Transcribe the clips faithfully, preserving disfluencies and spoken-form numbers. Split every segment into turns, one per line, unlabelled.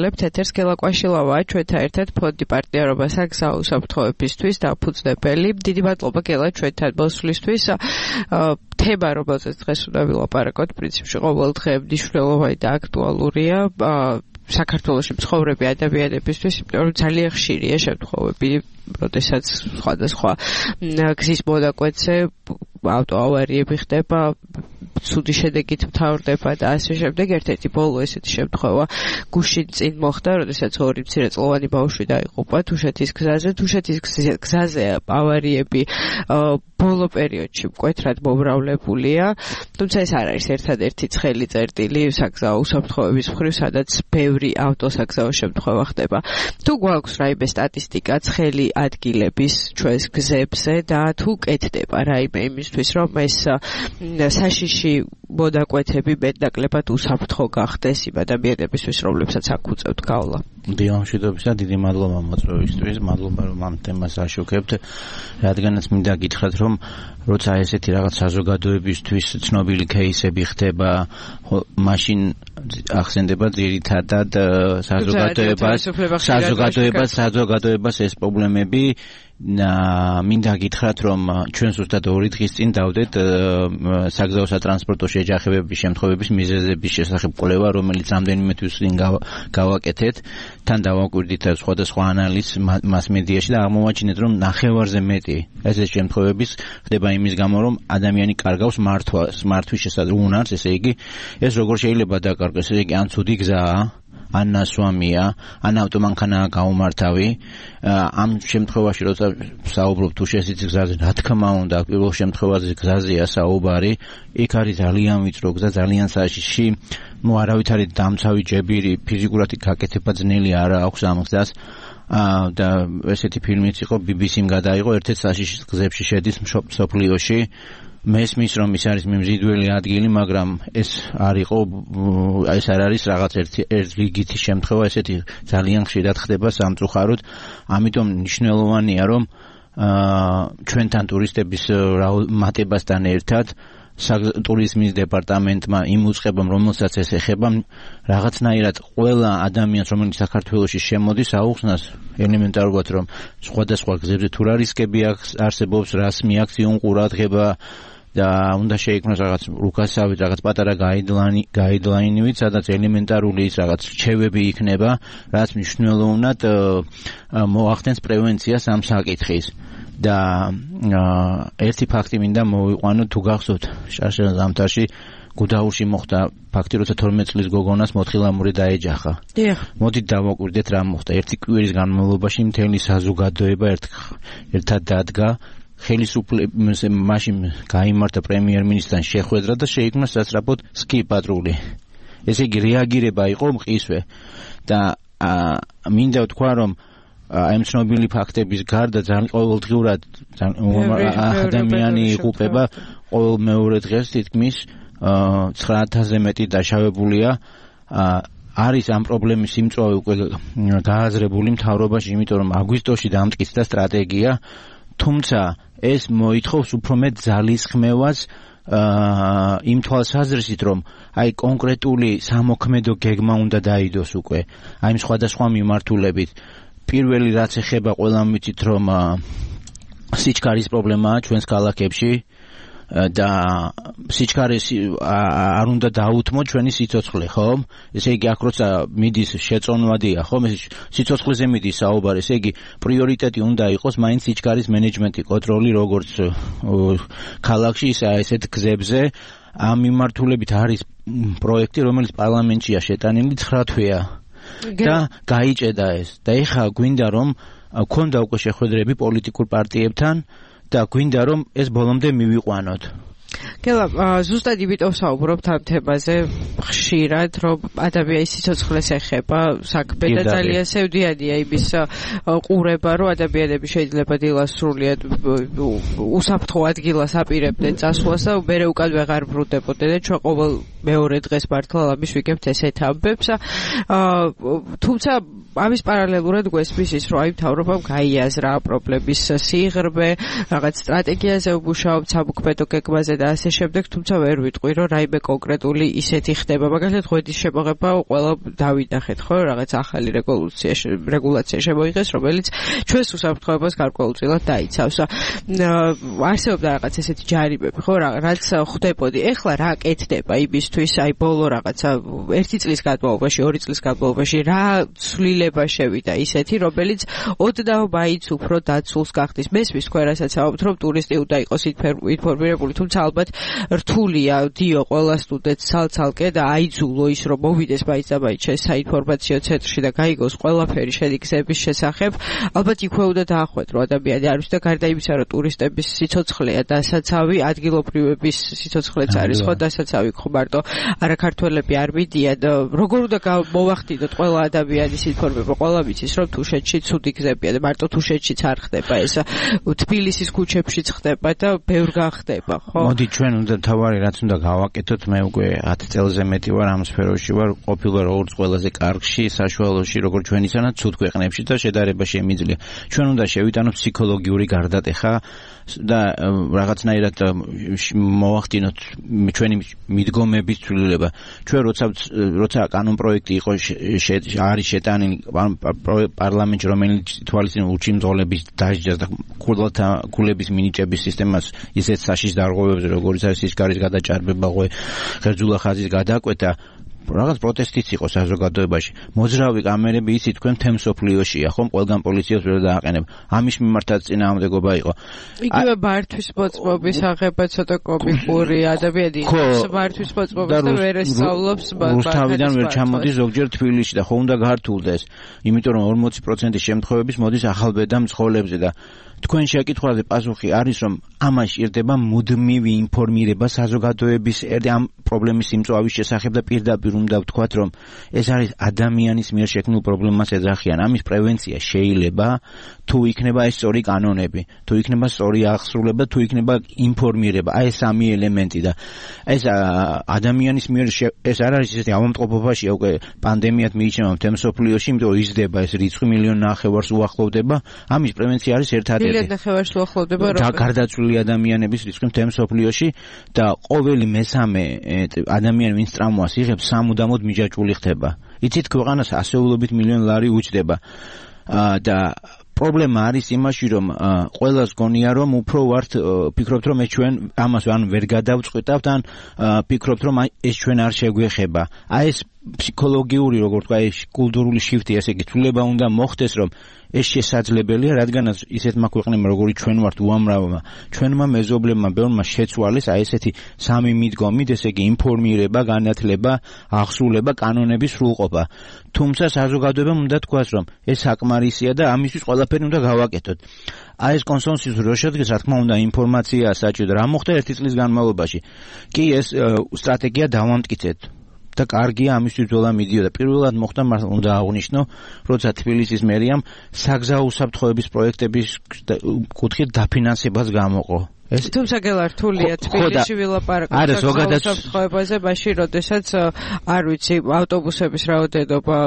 ვისაუბრებთ ეთერს გელაკვაშილავაა ჩვენთან ერთად ფონდი პარტნიორობა საგზაო უსაფრთხოებისთვის დაფუძნებელი. დიდი მადლობა გელა ჩვენთან მოსვლისთვის. თემა, რომელზეც დღეს უნდა ვილაპარაკოთ, პრინციპში ყოველ დღე მნიშვნელოვანი და აქტუალურია. საქართველოში მცხოვრები ადამიანებისთვის, იმიტომ რომ ძალიან ხშირია შემთხვევები, როდესაც სხვადასხვა გზის მონაკვეთზე ავტოავარიები ხდება, ცუდი შედეგით მთავრდება და ასე შემდეგ. ერთ-ერთი ბოლო ესეთი შემთხვევა გუშინ წინ მოხდა, როდესაც ორი მცირეწლოვანი ბავშვი დაიღუპა თუშეთის გზაზე. თუშეთის გზაზე ავარიები ბოლო პერიოდში მკვეთრად მომრავლებულია, თუმცა ეს არ არის ერთადერთი ცხელი წერტილი საგზაო უსაფრთხოების მხრივ, სადაც ბევრი ავტოსაგზაო შემთხვევა ხდება. თუ გვაქვს რაიმე სტატისტიკა ცხელი ადგილების ჩვენს გზებზე და თუ კეთდება რაიმე იმისთვის, რომ ეს საშიში მონაკვეთები მეტნაკლებად უსაფრთხო გახდეს იმ ადამიანებისთვის, რომლებსაც აქ უწევთ გავლა.
დიამშვიდობისა, დიდი მადლობა მოწვევისთვის, მადლობა რომ ამ თემას აშუქებთ, რადგანაც მინდა გითხრათ, რომ როცა ესეთი რაღაც საზოგადოებისთვის ცნობილი кейსები ხდება, მაშინ ახსენდება ძირითადად საზოგადოებას, საზოგადოებას, საზოგადოებას ეს პრობლემები. მინდა გითხრათ, რომ ჩვენ ზუსტად ორი დღის წინ დავდეთ საგზაო სატრანსპორტო შეჯახებების შემთხვევების მიზეზების შესახებ კვლევა, რომელიც რამდენიმე თვის წინ გავაკეთეთ. თან დავაკვირდით სხვადასხვა ანალიზს მასმედიაში და აღმოვაჩინეთ, რომ ნახევარზე მეტი ესეთი შემთხვევების ხდება იმის გამო, რომ ადამიანი კარგავს მართვას, მართვის შესაძლო უნარს, ესე იგი, ეს როგორ შეიძლება დაკარგოს, ესე იგი, ან ცუდი გზაა, ან ნასვამია, ან ავტომანქანაა გაუმართავი. ამ შემთხვევაში, როცა საუბრობ თუშეთის გზაზე, რა თქმა უნდა, პირველ შემთხვევაში გზაზეა საუბარი, იქ არის ძალიან ვიწრო გზა, ძალიან საშიში, ну არავითარი დამცავი ჯებირი, ფიზიკურად გაკეთება ძნელი არ აქვს ამ გზას. და ესეთი ფილმიც იყო, ბი ბი სიმ გადაიღო, ერთ-ერთ საშიშ გზებში შედის მსოფლიოში. მესმის რომ ის არის მიმზიდველი ადგილი, მაგრამ ეს არ იყო, ეს არ არის რაღაც ერთი რიგითი შემთხვევა, ესეთი ძალიან ხშირად ხდება სამწუხაროდ. ამიტომ მნიშვნელოვანია, რომ ჩვენთან ტურისტების მატებასთან ერთად ტურიზმის დეპარტამენტმა იმ უწყებამ, რომელსაც ეს ეხება, რაღაცნაირად ყველა ადამიანს, რომელიც საქართველოში შემოდის, აუხსნას ელემენტარულად, რომ სხვადასხვა გზებზე თუ რა რისკები არსებობს, რას მიაქციონ ყურადღება და უნდა შეიქმნას რაღაც რუკასავით, რაღაც პატარა გაიდლაინი, გაიდლაინივით, სადაც ელემენტარული ის რაღაც რჩევები იქნება, რაც მნიშვნელოვნად მოახდენს პრევენციას ამ საკითხის. და ერთი ფაქტი მინდა მოვიყვანო, თუ გახსოვთ, შარშან ზამთარში გუდაურში მოხდა ფაქტი, როცა თორმეტ წლის გოგონას მოთხილამური დაეჯახა. მოდით დავაკვირდეთ რა მოხდა. ერთი კვირის განმავლობაში მთელი საზოგადოება ერთად დადგა, ხელისუფლების მაშინ გაიმართა პრემიერ-მინისტრთან შეხვედრა და შეიქმნა სასწრაფოდ სკი პატრული. ესე იგი რეაგირება იყო მყისვე და მინდა ვთქვა, რომ აი ცნობილი ფაქტების გარდა ძალიან ყოველდღიურად ადამიანი იღუპება, ყოველ მეორე დღეს თითქმის ცხრა ათასზე მეტი დაშავებულია. არის ამ პრობლემის სიმწვავე უკვე გააზრებული მთავრობაში, იმიტომ რომ აგვისტოში დამტკიცდა სტრატეგია, თუმცა ეს მოითხოვს უფრო მეტ ძალისხმევას იმ თვალსაზრისით, რომ აი კონკრეტული სამოქმედო გეგმა უნდა დაიდოს უკვე, აი სხვადასხვა მიმართულებით. პირველი რაც ეხება, ყველამ ვიცით, რომ სიჩქარის პრობლემაა ჩვენს ქალაქებში და სიჩქარეს არ უნდა დაუთმო ჩვენი სიცოცხლე, ხო? ესე იგი, აქ როცა მიდის შეწონვადია, ხო? სიცოცხლეზე მიდის საუბარი, ესე იგი, პრიორიტეტი უნდა იყოს მაინც სიჩქარის მენეჯმენტი, კონტროლი, როგორც ქალაქში, ისე ესეთ გზებზე. ამ მიმართულებით არის პროექტი, რომელიც პარლამენტშია შეტანილი, ცხრა თვეა. და გაიჭედა ეს. და ეხლა გვინდა, რომ გქონდა უკვე შეხვედრები პოლიტიკურ პარტიებთან და გვინდა, რომ ეს ბოლომდე მივიყვანოთ.
გელა, ზუსტად იმიტომ საუბრობთ ამ თემაზე ხშირად, რომ ადამიანის სიცოცხლეს ეხება საქმე და ძალიან სევდიანია იმის ყურება, რომ ადამიანები შეიძლება დილას სრულიად უსაფრთხო ადგილას აპირებდნენ წასვლას და მერე უკან ვეღარ ბრუნდებოდნენ და ჩვენ ყოველ მეორე დღეს მართლა ამის ვიგებთ ესეთ ამბებს. თუმცა ამის პარალელურად გვესმის ის, რომ აი მთავრობამ გაიაზრა პრობლემის სიღრმე, რაღაც სტრატეგიაზე უმუშაობთ, სამოქმედო გეგმაზე და ასე ასე შემდეგ, თუმცა ვერ ვიტყვი, რომ რაიმე კონკრეტული ისეთი ხდება. მაგალითად, ღვედის შემოღება ყველა დავინახეთ, ხო, რაღაც ახალი რეგულაცია რეგულაცია შემოიღეს, რომელიც ჩვენს უსაფრთხოებას გარკვეულწილად დაიცავს. არსებობდა რაღაც ესეთი ჯარიმები, ხო, რაც ხდებოდი. ეხლა რა კეთდება იმისთვის, აი ბოლო რაღაცა ერთი წლის განმავლობაში, ორი წლის განმავლობაში რა ცვლილება შევიდა ისეთი, რომელიც ოდნავ მაინც უფრო დაცულს გახდის. მესმის თქვენ რასაც ამბობთ, რომ ტურისტი უნდა იყოს ინფორმირებული, თუმცა ალბათ რთულია დიო ყველა სტუდენტს ცალ-ცალკე და აიძულო ის, რომ მოვიდეს მაინც და მაინც შენ საინფორმაციო ცენტრში და გაიგოს ყველაფერი შენი გზების შესახებ. ალბათ იქვე უნდა დაახვედრო ადამიანი არის და გარდა იმისა, რომ ტურისტების სიცოცხლეა დასაცავი, ადგილობრივების სიცოცხლეც არის ხო დასაცავი, ხო მარტო არა ქართველები არ მიდიან. როგორ უნდა მოვახდინოთ ყველა ადამიანის ინფორმირება, ყველა ვიცის, რომ თუშეთში ცუდი გზებია და მარტო თუშეთშიც არ ხდება ეს. თბილისის ქუჩებშიც ხდება და ბევრ გახდება, ხო?
მოდი ჩვენ უნდა თავარი რაც უნდა გავაკეთოთ, მე უკვე ათი წელზე მეტი ვარ ამ სფეროში ვარ, ყოფილვარ როგორც ყველაზე კარგში, საშუალოში, როგორც ჩვენისანა ცუდ ქვეყნებში და შედარება შემიძლია. ჩვენ უნდა შევიტანოთ ფსიქოლოგიური გარდატეხა და რაღაცნაირად მოვახდინოთ ჩვენი მიდგომების ცვლილება. ჩვენ როცა როცა კანონ პროექტი იყო არის შეტანილი პარლამენტში, რომელიც თვალისწინ უჩიმძღოლების დასჯას და ქულების მინიჭების სისტემას ისეთ საშიშ დარღვევებზე, როგორც არის სისკარის გადაჭარბება, ღერძულა ხაზის გადაკვეთა, რაღაც პროტესტიც იყო საზოგადოებაში. მოძრავი კამერები იცი თქვენ მთელ მსოფლიოშია, ხომ? ყველგან პოლიციას ვერ დააყენება. ამის მიმართაც წინააღმდეგობა იყო.
იგივე ბართვის მოწმობის აღება ცოტა კომიკური ადამიანი იყო. ბართვის მოწმობს და ვერ ესწავლობს
რუსთავიდან ვერ ჩამოდის ზოგჯერ თბილისში და ხო უნდა გართულდეს. იმიტომ რომ ორმოცი პროცენტი შემთხვევების მოდის ახალბედა მძღოლებზე და თქვენ შეკითხვაზე პასუხი არის, რომ ამაში ირდება მუდმივი ინფორმირება საზოგადოების ამ პრობლემის სიმწვავის შესახებ და პირდაპირ უნდა ვთქვათ, რომ ეს არის ადამიანის მიერ შექმნილ პრობლემას ეძახიან. ამის პრევენცია შეიძლება თუ იქნება ეს სწორი კანონები, თუ იქნება სწორი აღსრულება, თუ იქნება ინფორმირება. აი ეს სამი ელემენტი და ეს ადამიანის მიერ ეს არ არის ისეთი ავადმყოფობაშია უკვე პანდემიად მიიჩნევა მთელ მსოფლიოში, იმიტომ რომ იზრდება ეს რიცხვი მილიონ ნახევარს უახლოვდება. ამის პრევენცია არის ერთადერთი
მილიონ ნახევარს უახლოვდება
და გარდაცვლილი ადამიანების რიცხვი მთელ მსოფლიოში და ყოველი მესამე ადამიანი ვინც ტრამვას იღებს სამუდამოდ მიჯაჭვული ხდება. იცით ქვეყანას ასეულობით მილიონ ლარი უჯდება და პრობლემა არის იმაში, რომ ყველას გონია, რომ უფრო ვართ ფიქრობთ, რომ ეს ჩვენ ამას ან ვერ გადავწყვეტავთ, ან ფიქრობთ, რომ ეს ჩვენ არ შეგვეხება. აი ეს ფსიქოლოგიური, როგორ თქვა, ეს კულტურული შიფტი, ესე იგი, ცვლილება უნდა მოხდეს, რომ ეს შესაძლებელია, რადგანაც ისეთმა ქვეყნებმა, როგორიც ჩვენ ვართ უამრავმა, ჩვენმა მეზობლებმა ბევრმა შეცვალეს აი ესეთი სამი მიდგომით, ესე იგი, ინფორმირება, განათლება, აღსრულება, კანონების სრულყოფა. თუმცა საზოგადოებამ უნდა თქვას, რომ ეს საკმარისია და ამისთვის ყველაფერი უნდა გავაკეთოთ. აი ეს კონსენსუსი რო შედგეს, რა თქმა უნდა, ინფორმაციაა საჭირო და რა მოხდა ერთი წლის განმავლობაში. კი, ეს სტრატეგია დავამტკიცეთ. და კარგია ამისთვის ბრძოლა მიდიოდა. პირველად მოხდა მართლა უნდა აღვნიშნო, როცა თბილისის მერიამ საგზაო უსაფრთხოების პროექტების კუთხით დაფინანსებას გამოყო. ეს
თუმცა გელართულია თბილისში ვილაპარაკოთ უსაფრთხოებაზე, მაშინ როდესაც არ ვიცი ავტობუსების რაოდენობა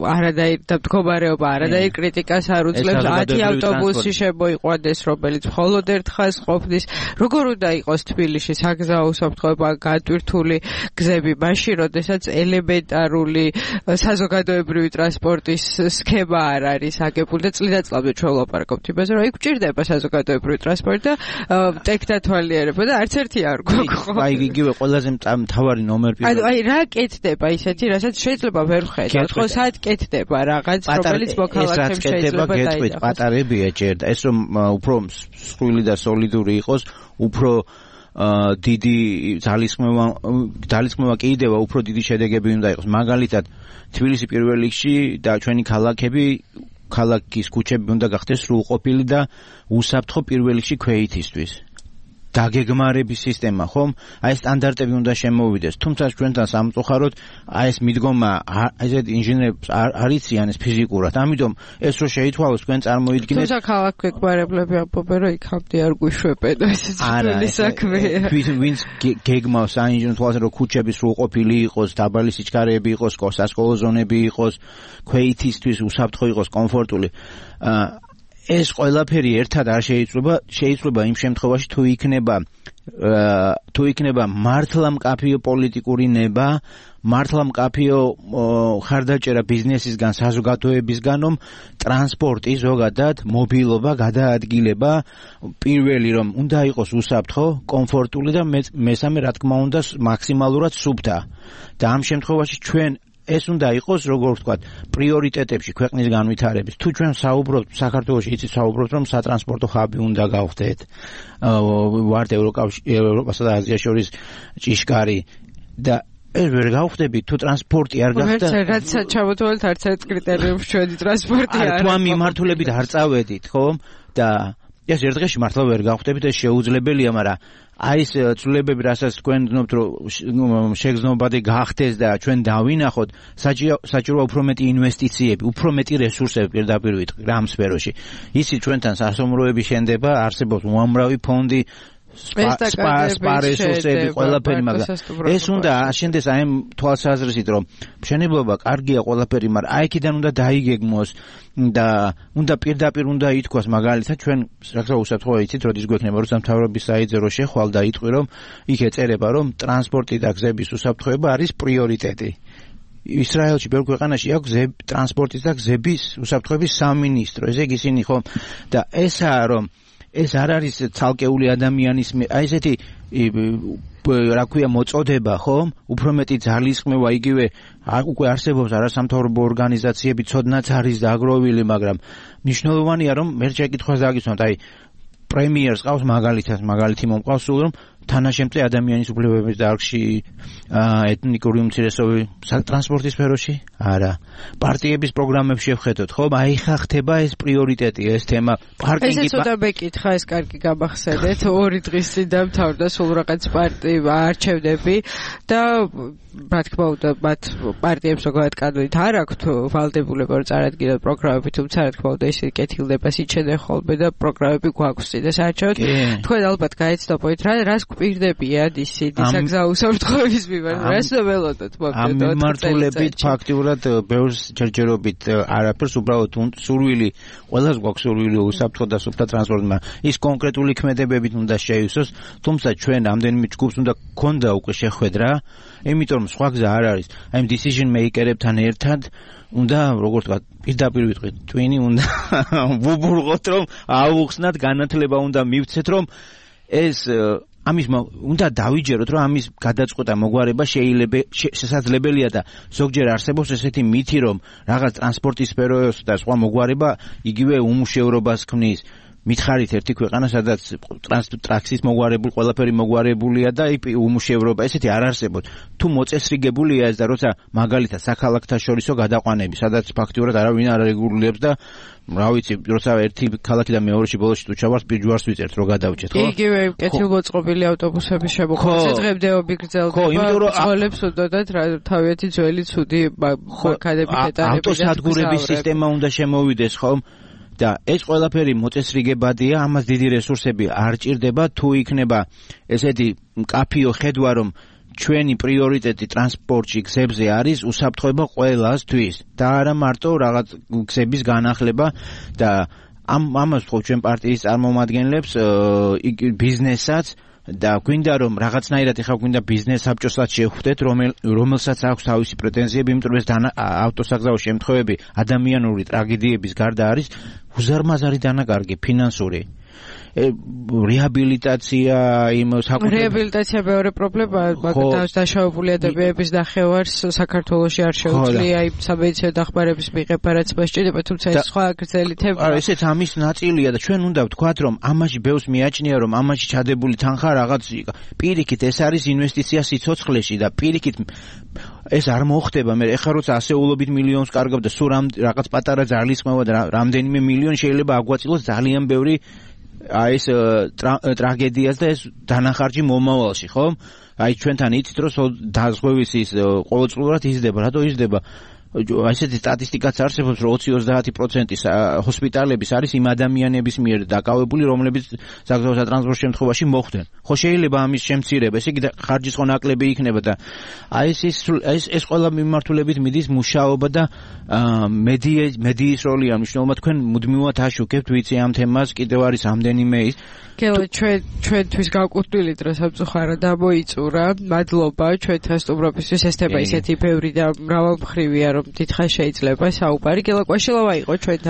არადაირ და მდგომარეობა არადაირ კრიტიკას არ უძლებს. ათი ავტობუსი შემოიყვანეს, რომელიც მხოლოდ ერთ ხაზს ყოფნის. როგორ უნდა იყოს თბილისში საგზაო უსაფრთხოება განტვირთული გზები, მაშინ როდესაც ელემენტარული საზოგადოებრივი ტრანსპორტის სქემა არ არის აგებული და წლიდადწლამდე ჩვენ ვლაპარაკობთ იმაზე, რომ იქ გჭირდება საზოგადოებრივი ტრანსპორტი და ტექნათვალიერება და არც ერთი არ გვაქვს.
აი იგივე ყველაზე მთავარი ნომერი.
ანუ აი რა კეთდება ისეთი, რასაც შეიძლება ვერ ვხედავთ, ხო, სად კეთდება რაღაც, რომელიც მოქალაქემ შეიძლება
დაიდოს. პატარებია ჭერდა. ეს რომ უფრო მსხვილი და სოლიდური იყოს, უფრო დიდი ძალისხმევა ძალისხმევა კიდევა უფრო დიდი შედეგები უნდა იყოს. მაგალითად, თბილისი პირველ რიგში და ჩვენი ქალაქები ქალაქის ქუჩები უნდა გახდეს სრულყოფილი და უსაფრთხო პირველ რიგში ქვეითისთვის. დაგეგმარების სისტემა, ხომ? აი ეს სტანდარტები უნდა შემოვიდეს. თუმცა ჩვენთან სამწუხაროდ აი ეს მიდგომა ესეთ ინჟინერებს არ იციან ეს ფიზიკურად. ამიტომ ეს რო შეითვალოს თქვენ წარმოიდგინეთ.
თუმცა ქალაქ გვეკბარებლები ამბობენ, რომ იქამდე არ გვიშვებენ, ეს ძველი საქმეა.
ვინც გეგმავს საინჟინრო თვალსა რომ ქუჩები სრულყოფილი იყოს, დაბალი სიჩქარეები იყოს, სასკოლო ზონები იყოს, ქვეითისთვის უსაფრთხო იყოს, კომფორტული. ეს ყველაფერი ერთად არ შეიძლება, შეიძლება იმ შემთხვევაში თუ იქნება თუ იქნება მართლა მკაფიო პოლიტიკური ნება, მართლა მკაფიო ხარდაჭერა ბიზნესისგან, საზოგადოებისგან, რომ ტრანსპორტი ზოგადად, მობილობა, გადაადგილება პირველი რომ უნდა იყოს უსაფრთხო, კომფორტული და მესამე რა თქმა უნდა მაქსიმალურად სუფთა. და ამ შემთხვევაში ჩვენ ეს უნდა იყოს, როგორ ვთქვათ, პრიორიტეტებში ქვეყნის განვითარების. თუ ჩვენ საუბრობთ საქართველოში, იცით საუბრობთ, რომ სატრანსპორტო ხაბი უნდა გავხდეთ. ვართ ევროპასა და აზიას შორის ჭიშკარი და ეს ვერ გავხდებით, თუ ტრანსპორტი არ გახდა.
რაც ჩამოთვალეთ არც ერთ კრიტერიუმს ჩვენი ტრანსპორტი არ.
თუ ამ მიმართულებით არ წავედით, ხო? და ეს ერთ დღეში მართლა ვერ გავხდებით, ეს შეუძლებელია, მაგრამ აი ეს ცვლილებები, რასაც თქვენ გძნობთ, რომ შეგრძნობადი გახდეს და ჩვენ დავინახოთ, საჭიროა უფრო მეტი ინვესტიციები, უფრო მეტი რესურსები პირდაპირ ვიტყვი რა ამ სფეროში. იცით, ჩვენთან სასოფლოები შენდება, არსებობს უამრავი ფონდი, სპარესურსები, ყველაფერი, მაგრამ ეს უნდა აშენდეს აი ამ თვალსაზრისით, რომ მშენებლობა კარგია ყველაფერი, მაგრამ აი იქიდან უნდა დაიგეგმოს და უნდა პირდაპირ უნდა ითქვას, მაგალითად ჩვენ რაღაცა უსაფრთხოა იცით, როდის გვექნება რუსთავის საიძე რო შეხვალ და იტყვი, რომ იქ ეწერება, რომ ტრანსპორტი და გზების უსაფრთხოება არის პრიორიტეტი. ისრაელში ბევრ ქვეყანაში აქვს ტრანსპორტის და გზების უსაფრთხოების სამინისტრო, ესე იგი ისინი ხო და ესაა რომ ეს არ არის ცალკეული ადამიანის აი ესეთი რა ქვია მოწოდება, ხო? უფრო მეტი ძალისხმევა იგივე უკვე არსებობს არასამთავრობო ორგანიზაციები, ცოდნაც არის დაგროვილი, მაგრამ მნიშვნელოვანია რომ მე შეკითხვას დაგისვამთ, აი პრემიერს ყავს მაგალითად, მაგალითი მომყავს სულ რომ თანაშემწე ადამიანის უფლებების დარგში, ეთნიკური უმცირესობები ტრანსპორტის სფეროში? არა. პარტიების პროგრამებში შევხედოთ, ხო? აი ხა ხდება ეს პრიორიტეტი, ეს თემა, პარკინგი.
ეს ცოტა მეკითხა, ეს კარგი გამახსენეთ, ორი დღის წინ დამთავრდა სულ რაღაც პარტიები არჩევნები და რა თქმა უნდა, მათ პარტიებს ზოგადად კანონით არ აქვთ ვალდებულება რომ წარადგინონ პროგრამები, თუმცა რა თქმა უნდა ისინი კეთილდებას იჩენენ ხოლმე და პროგრამები გვაქვს წინ და საერთოდ თქვენ ალბათ გაეცნობოით რა რას გვპირდებიან ისინი საგზაო უსაფრთხოების მიმართ, რას ველოდოთ მოკლედ.
ამ მიმართულებით ფაქტიურად ბევრს ჯერჯერობით არაფერს, უბრალოდ სურვილი, ყველას გვაქვს სურვილი უსაფრთხო და სუფთა ტრანსპორტმა. ის კონკრეტული ქმედებებით უნდა შეივსოს, თუმცა ჩვენ ამდენიმე ჯგუფს უნდა გქონდა უკვე შეხვედრა, იმიტომ რომ სხვა გზა არ არის. აი ამ decision maker-ებთან ერთად უნდა, როგორ ვთქვათ, პირდაპირ ვიტყვით, twin-ი უნდა ვუბრუნოთ, რომ აუხსნათ, განათლება უნდა მივცეთ, რომ ეს ამის უნდა დავიჯეროთ, რომ ამის გადაწყვეტა მოგვარება შეიძლება შესაძლებელია და ზოგჯერ არსებობს ესეთი მითი, რომ რაღაც ტრანსპორტის სფეროს და სხვა მოგვარება იგივე უმუშევრობას ქმნის. მითხარით ერთი ქვეყანა, სადაც ტრანსპორტის მოგვარებული, ყველაფერი მოგვარებულია და უმუშევრობა ესეთი არ არსებობს. თუ მოწესრიგებულია ეს და როცა მაგალითად საქალაქთა შორისო გადაყვანები, სადაც ფაქტიურად არავინ არ რეგულირებს და რა ვიცი, როცა ერთი ქალაქიდან მეორეში ბოლოში თუ ჩავართ, ჯვარს ვიწერთ, რო გადავჭეთ, ხო?
იგივე კეთილმოწყობილი ავტობუსების შემოყვანა დღემდეობი გრძელდება, წოლებს უდოდათ თავიანთი ძველი ცუდი მანქანები დეტალები.
ავტოსადგურების სისტემა უნდა შემოვიდეს, ხო? და ეს ყველაფერი მოწესრიგებადია, ამას დიდი რესურსები არ ჭირდება, თუ იქნება ესეთი მკაფიო ხედვა, რომ ჩვენი პრიორიტეტი ტრანსპორტში, გზებზე არის უსაფრთხოება ყველასთვის და არა მარტო რაღაც გზების განახლება და ამ ამას ხო ჩვენ პარტიის წარმომადგენლებს ბიზნესაც და გვინდა რომ რაღაცნაირად ეხლა გვინდა ბიზნეს საბჭოსაც შევხვდეთ, რომელსაც აქვს თავისი პრეტენზიები, იმიტომ რომ ეს ავტოსაგზაო შემთხვევები ადამიანური ტრაგედიების გარდა არის უზარმაზარი დანაკარგი ფინანსური. რეაბილიტაცია, იმ საკუთრების
რეაბილიტაცია მეორე პრობლემაა, მაგრამ დაშავებული ადამიანების ნახევარს საქართველოში არ შეუძლია იმ სამედიცინო დახმარების მიღება, რაც მას სჭირდება, თუმცა ეს სხვა გრძელი თემა.
არა, ესეც ამის ნაწილია და ჩვენ უნდა ვთქვათ, რომ ამაში ბევრს მიაჩნია, რომ ამაში ჩადებული თანხა რაღაც პირიქით ეს არის ინვესტიცია სიცოცხლეში და პირიქით ეს არ მოხდება. მე ეხლა როცა ასეულობით მილიონს კარგავ და სულ რაღაც პატარა ძალისხმევა და რამდენიმე მილიონი შეიძლება აგვაწილოს ძალიან ბევრი აი ეს ტრაგედიას და ეს დანახარჯი მომავალში, ხო? აი ჩვენთან იცით რომ დაზღვევის ის ყოველწლიურად იზრდება, რატო იზრდება? ასეთი სტატისტიკაც არსებობს, რომ ოცი ოცდაათი პროცენტი ჰოსპიტალების არის იმ ადამიანების მიერ დაკავებული, რომლებიც საგზაო სატრანსპორტო შემთხვევაში მოხვდნენ. ხო შეიძლება ამის შემცირება, ესე იგი ხარჯის ხო ნაკლები იქნება და აი ეს ეს ეს ყველა მიმართულებით მიდის მუშაობა და მედიის როლი ამ მნიშვნელობა თქვენ მუდმივად აშუქებთ, ვიცი ამ თემას, კიდევ არის ამდენიმე ის
გელა ჩვენ ჩვენთვის გაკვირტვილი დრო სამწუხაროდ ამოიწურა. მადლობა ჩვენთან სტუმრობისთვის. ეს თემა ისეთი ბევრი და მრავალმხრივია, რომ დიდხანს შეიძლება საუბარი. გელა კვაშილავა იყო ჩვენთან.